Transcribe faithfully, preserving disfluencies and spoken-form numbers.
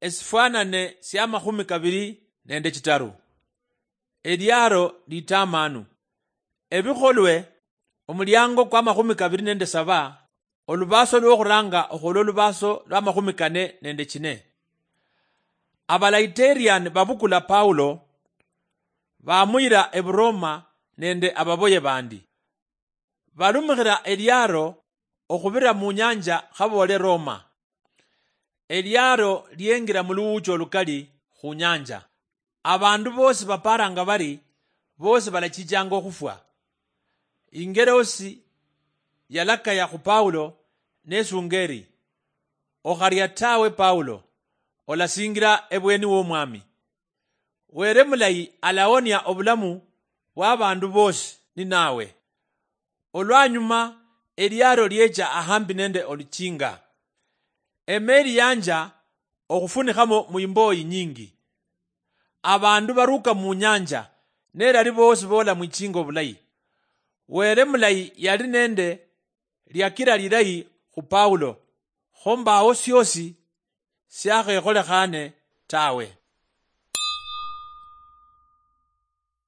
Esifwanane siamakhumi kabiri nende chitaru. Eliaro litamanu. Ebikholwe, omuliango kwamakhumi kabiri nende saba, olubaso lwokhuranga okhwolwa olubaso lwamakhumi kane nende chine. Abalaiterian babukula Paulo, bamuyira eburoma nende ababoye bandi. Balumikhira eliaro okhubira mu nyanja khaboole Roma. Eliaro liengira mu luwuuchi olukali khu nyanja. Abandu boosi baparanga bari boosi balachichanga okhufwa. Ingerosi yalakaya khu Paulo nesunga eri, "Okharia tawe Paulo, olasingira ebweni w'Omwami." Were mulayi alawonia obulamu bw'abandu boosi ninawe. Olwanyuma eliaro liecha ahambi nende oluchinga. Emeeri yanja okhufunikhamo mu imboyi nyingi. Abandu baruka mu nyanja, nerali boosi boola mwichinga obulayi. Were mulayi yali nende liakira lilayi khu Paulo, kho mbawo siosi siakhekholekhane tawe.